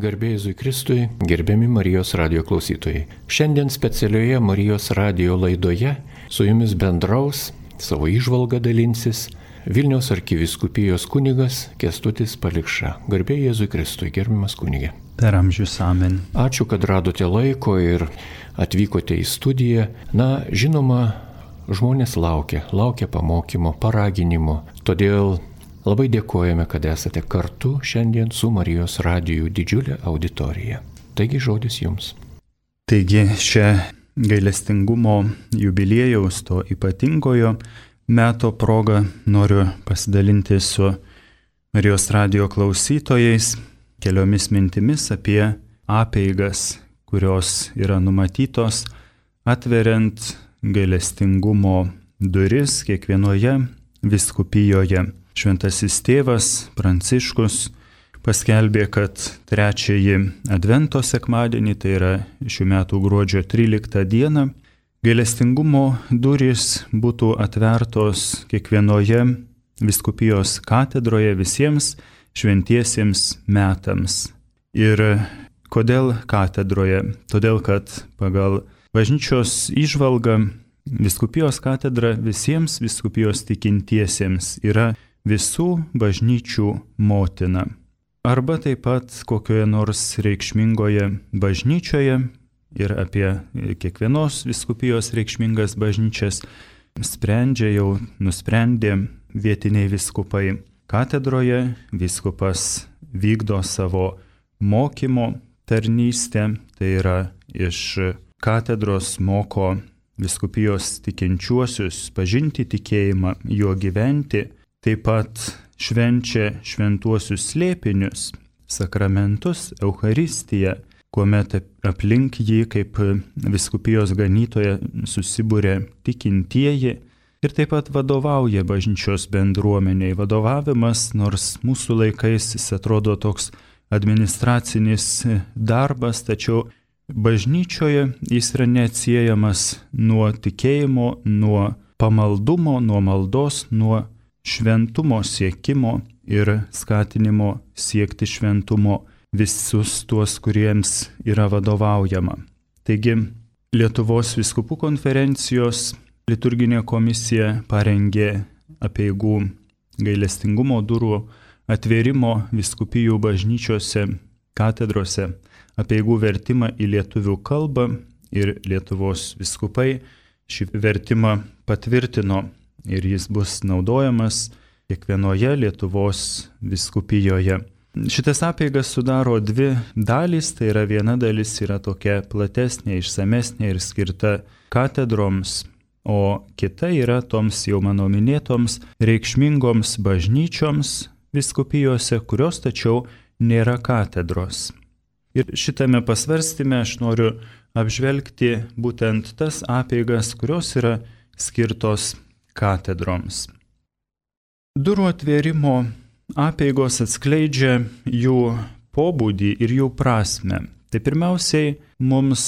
Garbė Jėzui Kristui, gerbiami Marijos radijo klausytojai. Šiandien specialioje Marijos radijo laidoje su jumis bendraus, savo įžvalgą dalinsis Vilniaus arkivyskupijos kunigas Kęstutis Palikša. Garbė Jėzui Kristui, gerbiamas kunige. Per amžius amen. Ačiū, kad radote laiko ir atvykote į studiją. Žinoma, žmonės laukia pamokymo, paraginimo. Todėl labai dėkojame, kad esate kartu šiandien su Marijos radiju didžiulė auditorija. Taigi žodis jums. Taigi šią gailestingumo jubiliejaus, to ypatingojo meto progą noriu pasidalinti su Marijos radijo klausytojais keliomis mintimis apie apeigas, kurios yra numatytos atveriant gailestingumo duris kiekvienoje vyskupijoje. Šventasis tėvas Pranciškus paskelbė, kad trečiąjį Advento sekmadienį, tai yra šių metų gruodžio 13 dieną, gailestingumo durys būtų atvertos kiekvienoje vyskupijos katedroje visiems šventiesiems metams. Ir kodėl katedroje? Todėl, kad pagal bažnyčios įžvalgą vyskupijos katedra visiems vyskupijos tikintiesiems yra visų bažnyčių motina. Arba taip pat kokioje nors reikšmingoje bažnyčioje ir apie kiekvienos vyskupijos reikšmingas bažnyčias nusprendė vietiniai vyskupai. Katedroje vyskupas vykdo savo mokymo tarnystę, tai yra iš katedros moko vyskupijos tikinčiuosius pažinti tikėjimą, juo gyventi. Taip pat švenčia šventuosius slėpinius, sakramentus, Eucharistiją, kuomet aplink jį kaip vyskupijos ganytoje susibūrė tikintieji ir taip pat vadovauja bažnyčios bendruomeniai. Vadovavimas, nors mūsų laikais jis atrodo toks administracinis darbas, tačiau bažnyčioje jis yra neatsiejamas nuo tikėjimo, nuo pamaldumo, nuo maldos, nuo šventumo siekimo ir skatinimo siekti šventumo visus tuos, kuriems yra vadovaujama. Taigi, Lietuvos vyskupų konferencijos liturginė komisija parengė apeigų gailestingumo durų atvėrimo vyskupijų bažnyčiose, katedrose, apeigų vertimą į lietuvių kalbą ir Lietuvos vyskupai šį vertimą patvirtino. Ir jis bus naudojamas kiekvienoje Lietuvos vyskupijoje. Šitas apeigas sudaro dvi dalys, tai yra viena dalis yra tokia platesnė, išsamesnė ir skirta katedroms, o kita yra toms jau mano minėtoms reikšmingoms bažnyčioms vyskupijose, kurios tačiau nėra katedros. Ir šitame pasvarstyme aš noriu apžvelgti būtent tas apeigas, kurios yra skirtos katedroms. Durų atvėrimo apeigos atskleidžia jų pobūdį ir jų prasmę. Tai pirmiausiai mums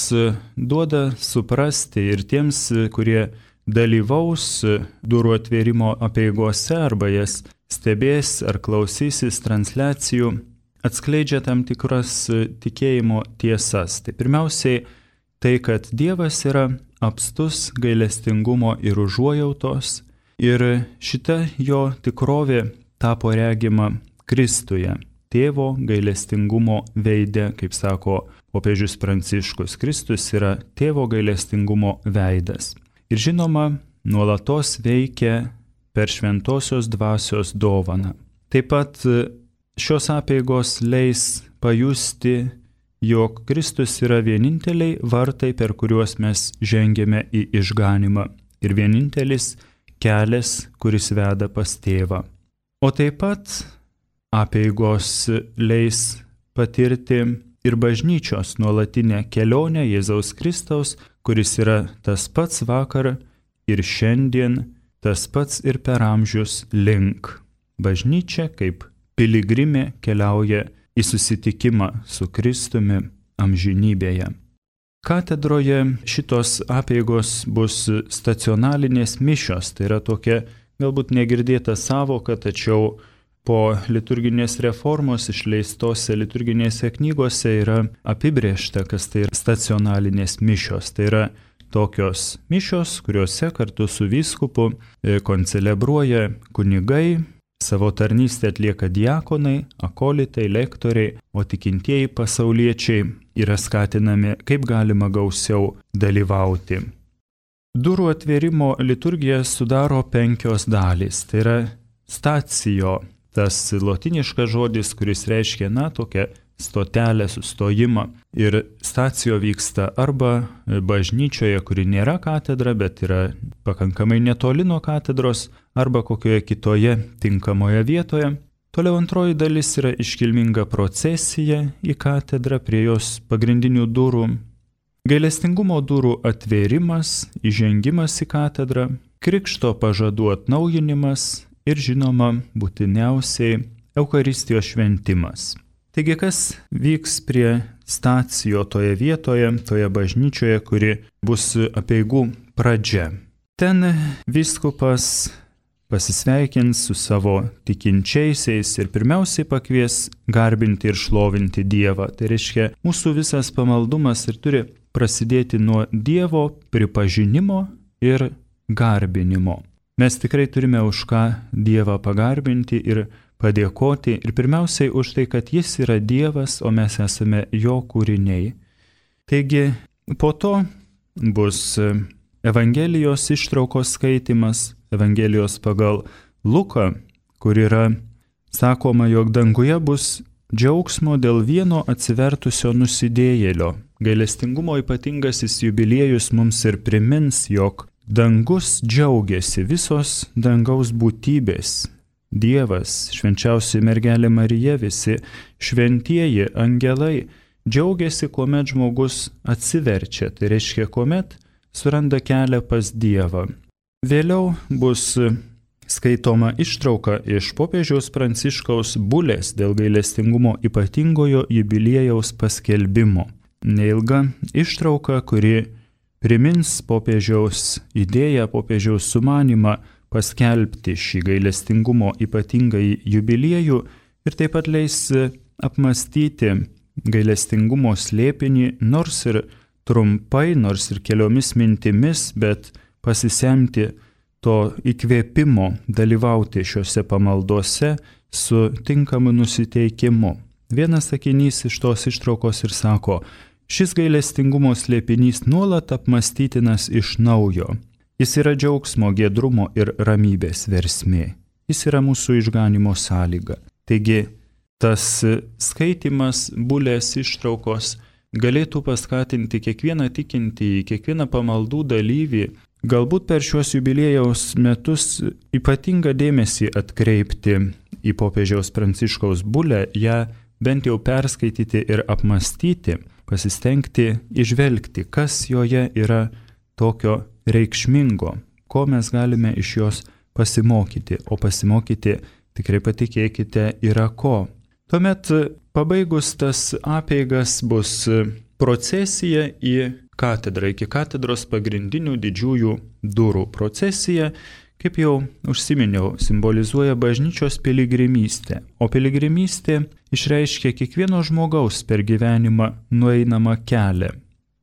duoda suprasti ir tiems, kurie dalyvaus durų atvėrimo apeigose arba jas stebės ar klausysis transliacijų, atskleidžia tam tikras tikėjimo tiesas. Tai pirmiausiai tai, kad Dievas yra apstus gailestingumo ir užuojautos, ir šita jo tikrovė tapo regima Kristuje, tėvo gailestingumo veide, kaip sako popiežius Pranciškus. Kristus yra tėvo gailestingumo veidas. Ir žinoma, nuolatos veikia per šventosios dvasios dovaną. Taip pat šios apeigos leis pajusti, jog Kristus yra vieninteliai vartai, per kuriuos mes žengėme į išganimą ir vienintelis kelias, kuris veda pas tėvą. O taip pat apeigos leis patirti ir bažnyčios nuolatinę kelionę Jėzaus Kristaus, kuris yra tas pats vakar ir šiandien, tas pats ir per amžius link. Bažnyčia kaip piligrimė keliauja į susitikimą su Kristumi amžinybėje. Katedroje šitos apeigos bus stacionalinės mišios, tai yra tokia galbūt negirdėta savoka, tačiau po liturginės reformos išleistose liturginėse knygose yra apibrėžta, kas tai yra stacionalinės mišios. Tai yra tokios mišios, kuriuose kartu su vyskupu koncelebruoja kunigai, savo tarnystę atlieka diakonai, akolitai, lektoriai, o tikintieji pasauliečiai yra skatinami kaip galima gausiau dalyvauti. Durų atvėrimo liturgija sudaro 5 dalys. Tai yra stacijo, tas lotiniškas žodis, kuris reiškia, tokią stotelę, sustojimą. Ir stacijo vyksta arba bažnyčioje, kuri nėra katedra, bet yra pakankamai netoli nuo katedros, arba kokioje kitoje tinkamoje vietoje. Toliau antroji dalis yra iškilminga procesija į katedrą prie jos pagrindinių durų. Gailestingumo durų atvėrimas, įžengimas į katedrą, krikšto pažadų atnaujinimas ir žinoma būtiniausiai Eucharistijos šventimas. Taigi kas vyks prie stacijo toje vietoje, toje bažnyčioje, kuri bus apeigų pradžia? Ten vyskupas pasisveikins su savo tikinčiaisiais ir pirmiausiai pakvies garbinti ir šlovinti Dievą. Tai reiškia, mūsų visas pamaldumas ir turi prasidėti nuo Dievo pripažinimo ir garbinimo. Mes tikrai turime už ką Dievą pagarbinti ir padėkoti ir pirmiausiai už tai, kad Jis yra Dievas, o mes esame Jo kūriniai. Taigi po to bus Evangelijos ištraukos skaitimas, Evangelijos pagal Luką, kur yra sakoma, jog danguje bus džiaugsmo dėl vieno atsivertusio nusidėjėlio. Gailestingumo ypatingasis jubiliejus mums ir primins, jog dangus džiaugiasi, visos dangaus būtybės. Dievas, švenčiausia mergelė Marija, visi šventieji angelai džiaugiasi, kuomet žmogus atsiverčia, tai reiškia, kuomet suranda kelią pas Dievą. Vėliau bus skaitoma ištrauka iš popiežiaus Pranciškaus bulės dėl gailestingumo ypatingojo jubiliejaus paskelbimo. Neilga ištrauka, kuri primins popiežiaus idėją, popiežiaus sumanimą paskelbti šį gailestingumo ypatingąjį jubiliejų ir taip pat leis apmastyti gailestingumo slėpinį, nors ir trumpai, nors ir keliomis mintimis, bet pasisemti to įkvėpimo dalyvauti šiuose pamaldose su tinkamu nusiteikimu. Vienas sakinys iš tos ištraukos ir sako, šis gailestingumo slėpinys nuolat apmastytinas iš naujo. Jis yra džiaugsmo, giedrumo ir ramybės versmė. Jis yra mūsų išganimo sąlyga. Taigi, tas skaitimas bulės ištraukos galėtų paskatinti kiekvieną tikintįjį, kiekvieną pamaldų dalyvį, galbūt per šiuos jubiliejaus metus ypatingą dėmesį atkreipti į popiežiaus Pranciškaus bulę, ją bent jau perskaityti ir apmastyti, pasistengti įžvelgti, kas joje yra tokio reikšmingo, ko mes galime iš jos pasimokyti, o pasimokyti, tikrai patikėkite, yra ko. Tuomet pabaigus tas apeigas bus procesija į katedrą, iki katedros pagrindinių didžiųjų durų. Procesija, kaip jau užsiminiau, simbolizuoja bažnyčios piligrimystę, o piligrimystė išreiškia kiekvieno žmogaus per gyvenimą nueinamą kelią.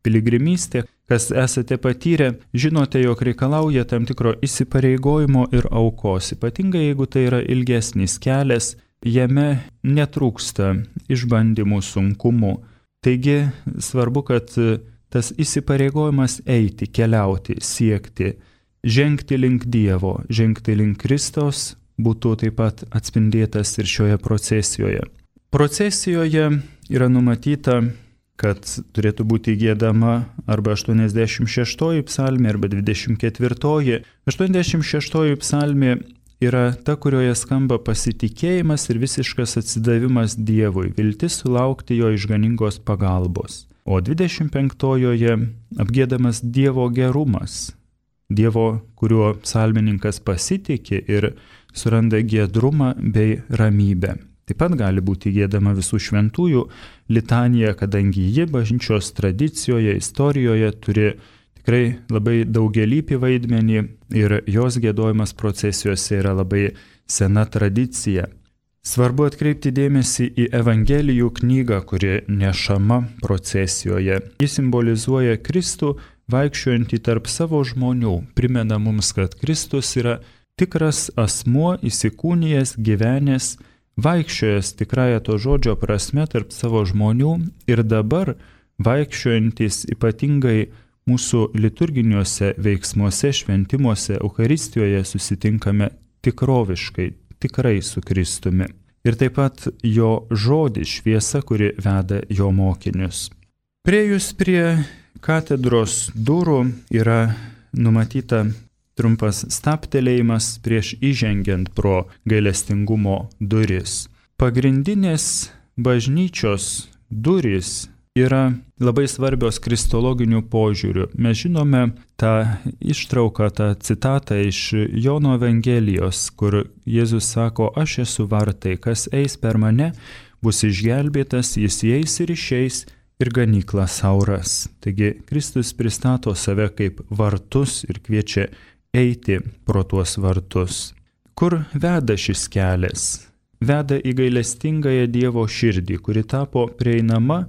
Piligrimystė, kas esate patyrę, žinote, jog reikalauja tam tikro įsipareigojimo ir aukos. Ypatingai jeigu tai yra ilgesnis kelias, jame netrūksta išbandymų, sunkumų. Taigi svarbu, kad tas įsipareigojimas eiti, keliauti, siekti, žengti link Dievo, žengti link Kristaus būtų taip pat atspindėtas ir šioje procesijoje. Procesijoje yra numatyta, kad turėtų būti giedama arba 86 psalmė, arba 24. 86 psalmė yra ta, kurioje skamba pasitikėjimas ir visiškas atsidavimas Dievui, viltis sulaukti jo išganingos pagalbos. O 25-oje apgiedamas Dievo gerumas, Dievo, kuriuo psalmininkas pasitikė ir suranda giedrumą bei ramybę. Taip pat gali būti giedama visų šventųjų litanija, kadangi ji bažnyčios tradicijoje, istorijoje turi tikrai labai daugialypį vaidmenį ir jos giedojimas procesijose yra labai sena tradicija. Svarbu atkreipti dėmesį į Evangelijų knygą, kuri nešama procesijoje. Ji simbolizuoja Kristų vaikščiojantį tarp savo žmonių, primena mums, kad Kristus yra tikras asmuo, įsikūnijęs, gyvenęs, vaikščiojęs tikrąją to žodžio prasme tarp savo žmonių ir dabar vaikščiojantis ypatingai mūsų liturginiuose veiksmuose, šventimuose, Eucharistijoje susitinkame tikroviškai, tikrai su Kristumi. Ir taip pat jo žodis šviesa, kuri veda jo mokinius. Priejus prie katedros durų yra numatyta trumpas stabtelėjimas prieš įžengiant pro gailestingumo duris. Pagrindinės bažnyčios durys yra labai svarbios kristologiniu požiūriu. Mes žinome tą ištrauką, tą citatą iš Jono Evangelijos, kur Jėzus sako, aš esu vartai, kas eis per mane, bus išgelbėtas, jis įeis ir išeis ir ganykla sauras. Taigi Kristus pristato save kaip vartus ir kviečia eiti pro tuos vartus. Kur veda šis kelias? Veda į gailestingąją Dievo širdį, kuri tapo prieinama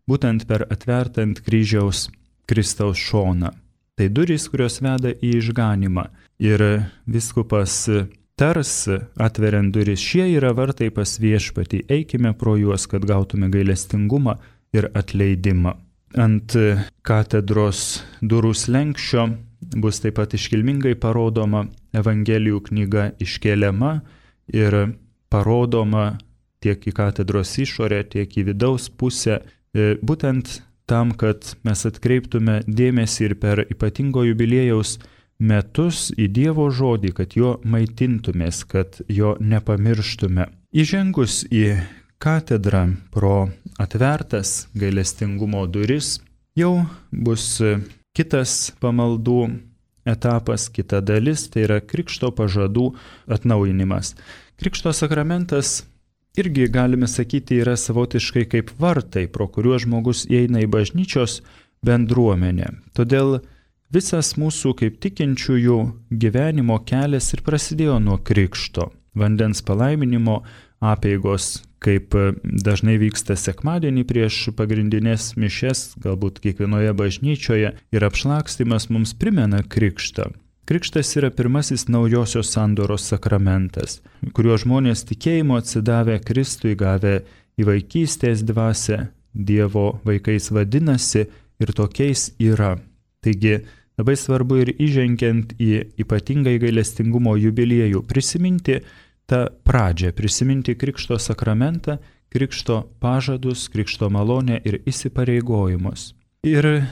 būtent per atvertą ant kryžiaus Kristaus šoną. Tai durys, kurios veda į išganimą. Ir vyskupas tars, atveriant duris, šie yra vartai pas viešpatį, eikime pro juos, kad gautume gailestingumą ir atleidimą. Ant katedros durų slenksčio bus taip pat iškilmingai parodoma Evangelijų knyga iškeliama ir parodoma tiek į katedros išorę, tiek į vidaus pusę, būtent tam, kad mes atkreiptume dėmesį ir per ypatingo jubiliejaus metus į Dievo žodį, kad jo maitintumės, kad jo nepamirštume. Įžengus į katedrą pro atvertas gailestingumo duris jau bus kitas pamaldų etapas, kita dalis, tai yra krikšto pažadų atnaujinimas. Krikšto sakramentas irgi, galime sakyti, yra savotiškai kaip vartai, pro kuriuos žmogus įeina į bažnyčios bendruomenę. Todėl visas mūsų kaip tikinčiųjų gyvenimo kelias ir prasidėjo nuo krikšto. Vandens palaiminimo apeigos, kaip dažnai vyksta sekmadienį prieš pagrindinės mišias, galbūt kiekvienoje bažnyčioje, ir apšlakstymas mums primena krikštą. Krikštas yra pirmasis naujosios sandoros sakramentas, kuriuo žmonės tikėjimo atsidavę Kristui, gavę į vaikystės dvasią, Dievo vaikais vadinasi ir tokiais yra. Taigi labai svarbu ir įžengiant į ypatingai gailestingumo jubiliejų prisiminti tą pradžią, prisiminti krikšto sakramentą, krikšto pažadus, krikšto malonę ir įsipareigojimus. Ir,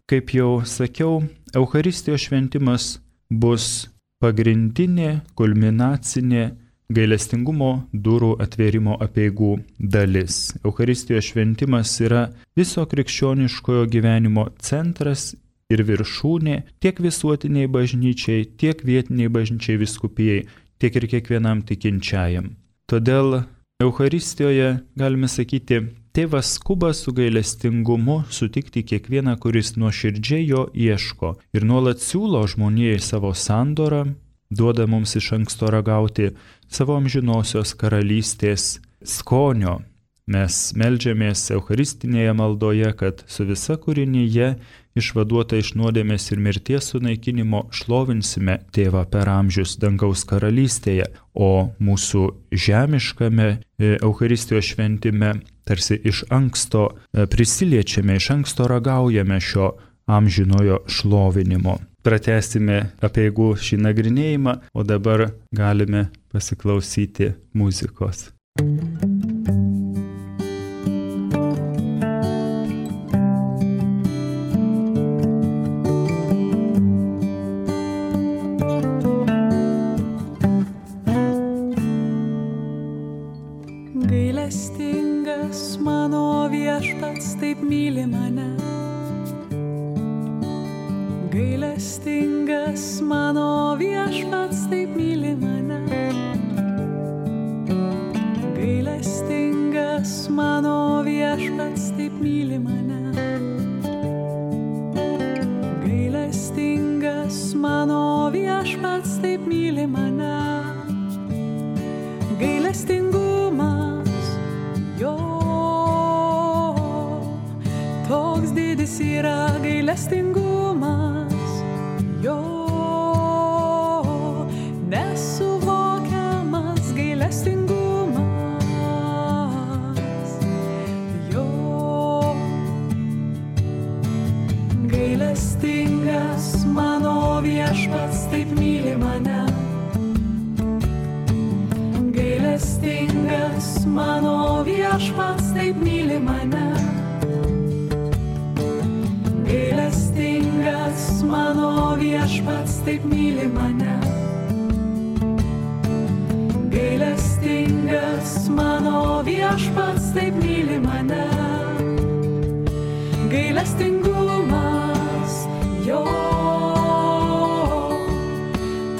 kaip jau sakiau, Eucharistijos šventimas bus pagrindinė, kulminacinė gailestingumo durų atvėrimo apeigų dalis. Eucharistijos šventimas yra viso krikščioniškojo gyvenimo centras ir viršūnė tiek visuotiniai bažnyčiai, tiek vietiniai bažnyčiai vyskupijai, tiek ir kiekvienam tikinčiajam. Todėl Eucharistijoje, galime sakyti, Tėvas skuba su gailestingumu sutikti kiekvieną, kuris nuoširdžiai jo ieško ir nuolat siūlo žmonijai savo sandorą, duoda mums iš anksto ragauti savo amžinosios karalystės skonio. Mes meldžiamės eucharistinėje maldoje, kad su visa kūrinyje išvaduota iš nuodėmės ir mirties sunaikinimo šlovinsime Tėvą per amžius dangaus karalystėje, o mūsų žemiškame Eucharistijos šventime tarsi iš anksto prisiliečiame, iš anksto ragaujame šio amžinojo šlovinimo. Pratęsime apeigų šį nagrinėjimą, o dabar galime pasiklausyti muzikos. Gailestingas mano viešpats taip myli mane. Gailestingas mano viešpats taip myli mane. Gailestingas mano viešpats taip myli mane. Gailestingas mano viešpats taip myli mane. Gailestingumo didis yra gailestingumas, jo nesuvokiamas gailestingumas, jo gailestingas mano viešpats taip myli mane. Gailestingas mano viešpats taip myli mane. Gailestingas mano viešpats taip myli mane. Gailestingas mano viešpats taip myli mane. Gailestingumas jo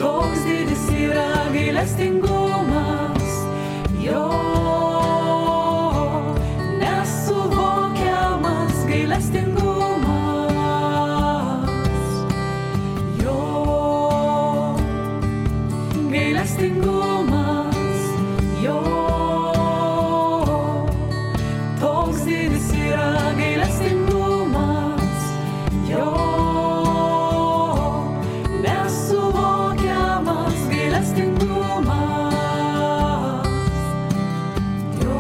toks didis yra gailestingumas jo nesuvokiamas gailestingumas jo gailestingumas jo toks didis yra gailestingumas jo nesuvokiamas gailestingumas jo.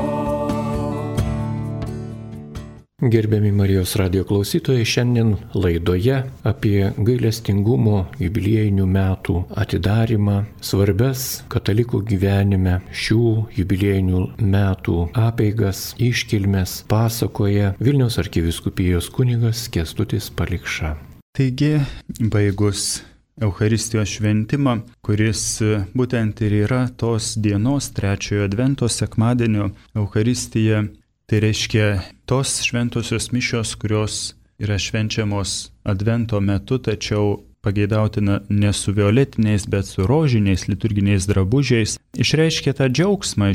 Gerbiami Marijos radijo klausytojai, šiandien laidoje apie gailestingumo jubiliejinių metų atidarimą, svarbias katalikų gyvenime šių jubiliejinių metų apeigas, iškilmes pasakoja Vilniaus arkivyskupijos kunigas Kęstutis Palikša. Taigi, baigus Eucharistijos šventimą, kuris būtent ir yra tos dienos trečiojo advento sekmadienio Eucharistija, tai reiškia tos šventosios mišios, kurios yra švenčiamos advento metu, tačiau pageidautina ne su violetiniais, bet su rožiniais liturginiais drabužiais, išreiškia tą džiaugsmą,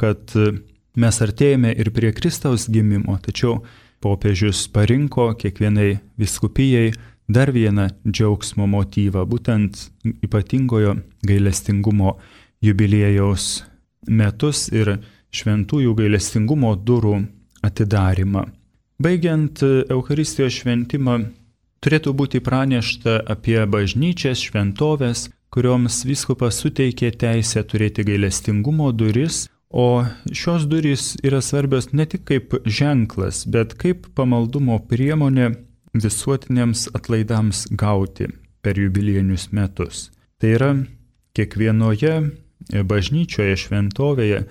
kad mes artėjame ir prie Kristaus gimimo, tačiau popiežius parinko kiekvienai vyskupijai dar vieną džiaugsmo motyvą, būtent ypatingojo gailestingumo jubiliejaus metus ir šventųjų gailestingumo durų atidarimą. Baigiant Eucharistijos šventimą, turėtų būti pranešta apie bažnyčias, šventovės, kurioms vyskupas suteikė teisę turėti gailestingumo duris, o šios durys yra svarbios ne tik kaip ženklas, bet kaip pamaldumo priemonė visuotiniams atlaidams gauti per jubiliejinius metus. Tai yra kiekvienoje bažnyčioje, šventovėje,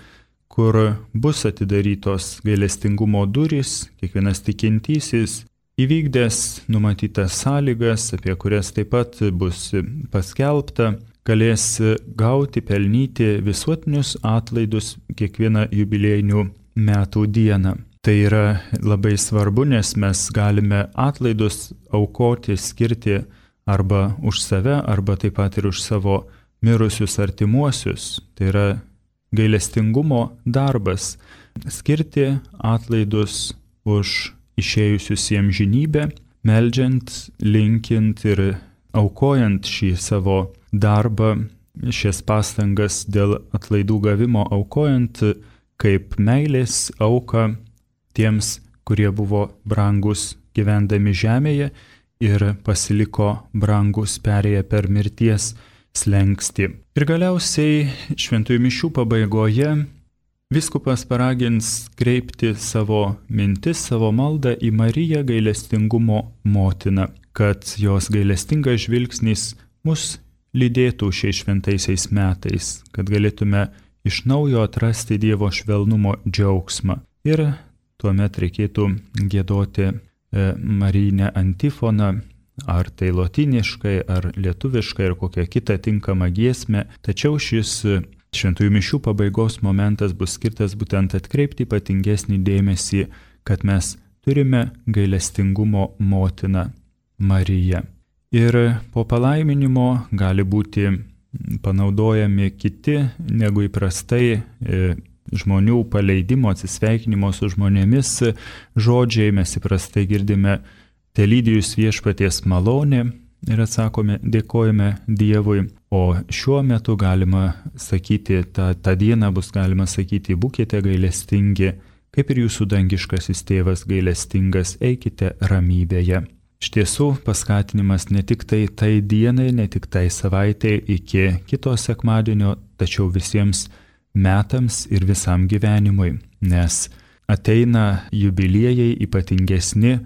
kur bus atidarytos gailestingumo durys, kiekvienas tikintysis įvykdęs numatytas sąlygas, apie kurias taip pat bus paskelbta, galės gauti, pelnyti visuotinius atlaidus kiekvieną jubiliejinių metų dieną. Tai yra labai svarbu, nes mes galime atlaidus aukoti, skirti arba už save, arba taip pat ir už savo mirusius artimuosius. Tai yra gailestingumo darbas - skirti atlaidus už išėjusius į amžinybę, meldžiant, linkint ir aukojant šį savo darbą, šias pastangas dėl atlaidų gavimo, aukojant kaip meilės auką tiems, kurie buvo brangus gyvendami žemėje ir pasiliko brangus perėję per mirties slenkstį. Ir galiausiai šventųjų mišių pabaigoje vyskupas paragins kreipti savo mintis, savo maldą į Mariją gailestingumo motiną, kad jos gailestingas žvilgsnis mus lydėtų šiais šventaisiais metais, kad galėtume iš naujo atrasti Dievo švelnumo džiaugsmą. Ir tuomet reikėtų giedoti Marijinę antifoną, ar tai lotyniškai, ar lietuviškai, ar kokią kitą tinkamą giesmę. Tačiau šis šventųjų mišių pabaigos momentas bus skirtas būtent atkreipti ypatingesnį dėmesį, kad mes turime gailestingumo motiną Mariją. Ir po palaiminimo gali būti panaudojami kiti negu įprastai žmonių paleidimo, atsisveikinimo su žmonėmis žodžiai. Mes įprastai girdime telydijus viešpaties malonė ir atsakome, dėkojame Dievui. O šiuo metu galima sakyti, tą dieną bus galima sakyti, būkite gailestingi, kaip ir jūsų dangiškasis tėvas gailestingas, eikite ramybėje. Iš tiesų, paskatinimas ne tik tai dienai, ne tik tai savaitei iki kito sekmadienio, tačiau visiems metams ir visam gyvenimui, nes ateina jubiliejai, ypatingesni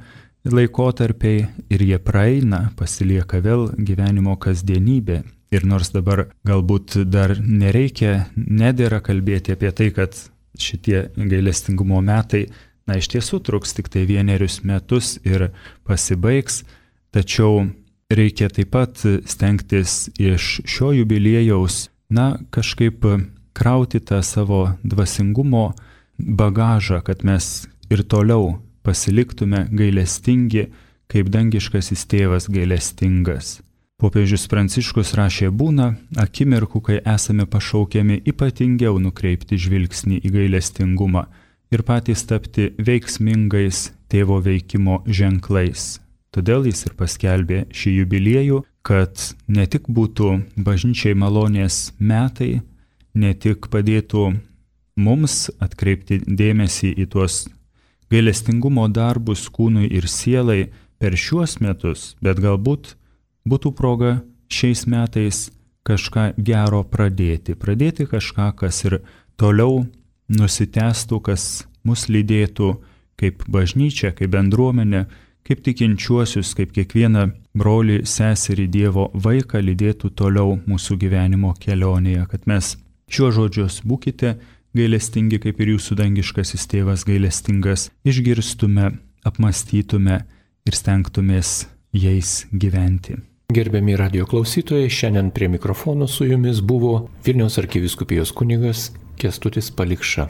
laikotarpiai ir jie praeina, pasilieka vėl gyvenimo kasdienybė. Ir nors dabar galbūt dar nedėra kalbėti apie tai, kad šitie gailestingumo metai, iš tiesų truks tik tai 1 metus ir pasibaigs, tačiau reikia taip pat stengtis iš šio jubiliejaus, kažkaip krauti tą savo dvasingumo bagažą, kad mes ir toliau pasiliktume gailestingi, kaip dangiškasis tėvas gailestingas. Popiežius Pranciškus rašė, būna akimirkų, kai esame pašaukiami ypatingiau nukreipti žvilgsnį į gailestingumą ir patys tapti veiksmingais tėvo veikimo ženklais. Todėl jis ir paskelbė šį jubiliejų, kad ne tik būtų bažnyčiai malonės metai, ne tik padėtų mums atkreipti dėmesį į tuos gailestingumo darbus kūnui ir sielai per šiuos metus, bet galbūt būtų proga šiais metais kažką gero pradėti kažką, kas ir toliau nusitęstų, kas mus lydėtų kaip bažnyčia, kaip bendruomenė, kaip tikinčiuosius, kaip kiekvieną brolį, seserį, Dievo vaiką lydėtų toliau mūsų gyvenimo kelionėje, kad mes šiuo žodžius būkite gailestingi, kaip ir jūsų dangiškasis tėvas gailestingas, išgirstume, apmastytume ir stengtumės jais gyventi. Gerbiami radijo klausytojai, šiandien prie mikrofono su jumis buvo Vilniaus arkivyskupijos kunigas Kęstutis Palikša.